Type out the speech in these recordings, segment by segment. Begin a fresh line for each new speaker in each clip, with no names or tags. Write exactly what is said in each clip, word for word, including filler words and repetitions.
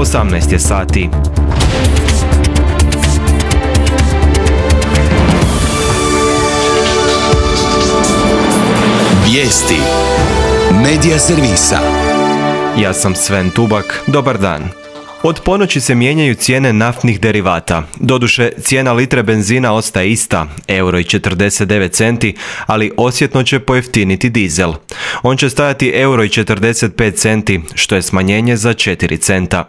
osamnaest je sati.
Vijesti Medija servisa.
Ja sam Sven Tubak, dobar dan. Od ponoći se mijenjaju cijene naftnih derivata. Doduše, cijena litre benzina ostaje ista, euro i četrdeset devet centi, ali osjetno će pojeftiniti dizel. On će stajati euro i četrdeset pet centi, što je smanjenje za četiri centa.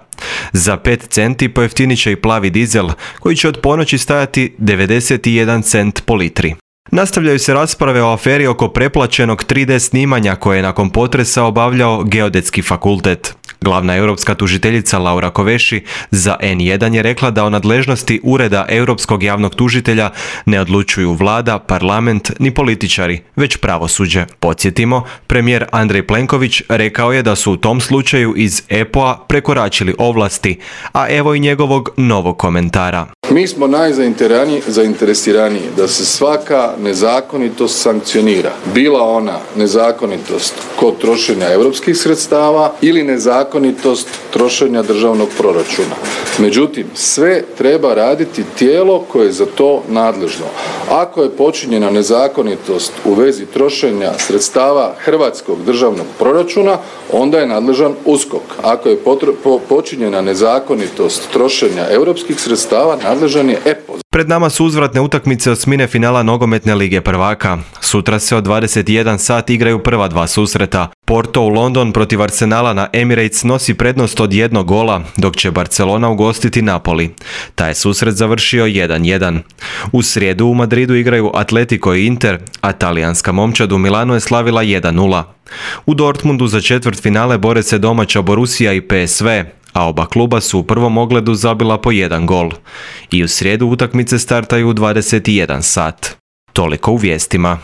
Za pet centi pojeftinit će i plavi dizel, koji će od ponoći stajati devedeset jedan cent po litri. Nastavljaju se rasprave o aferi oko preplaćenog tri D snimanja koje je nakon potresa obavljao Geodetski fakultet. Glavna europska tužiteljica Laura Kovesi za en jedan je rekla da o nadležnosti Ureda europskog javnog tužitelja ne odlučuju vlada, parlament ni političari, već pravosuđe. Podsjetimo, premijer Andrej Plenković rekao je da su u tom slučaju iz E P O-a prekoračili ovlasti, a evo i njegovog novog komentara.
Mi smo najzainteresiraniji da se svaka nezakonitost sankcionira. Bila ona nezakonitost kod trošenja europskih sredstava ili nezakonitost trošenja državnog proračuna. Međutim, sve treba raditi tijelo koje je za to nadležno. Ako je počinjena nezakonitost u vezi trošenja sredstava hrvatskog državnog proračuna, onda je nadležan U S K O K. Ako je potro- po- počinjena nezakonitost trošenja europskih sredstava, nadležan je E P O.
Pred nama su uzvratne utakmice osmine finala nogometne lige prvaka. Sutra se od dvadeset jedan sat igraju prva dva susreta. Porto u London protiv Arsenala na Emirates nosi prednost od jednog gola, dok će Barcelona ugostiti Napoli. Taj je susret završio jedan jedan. U srijedu u Madridu igraju Atletico i Inter, a talijanska momčad u Milanu je slavila jedan nula. U Dortmundu za četvrtfinale bore se domaća Borussia i P S V, a oba kluba su u prvom ogledu zabila po jedan gol. I u srijedu utakmice startaju u dvadeset jedan sat. Toliko u vijestima.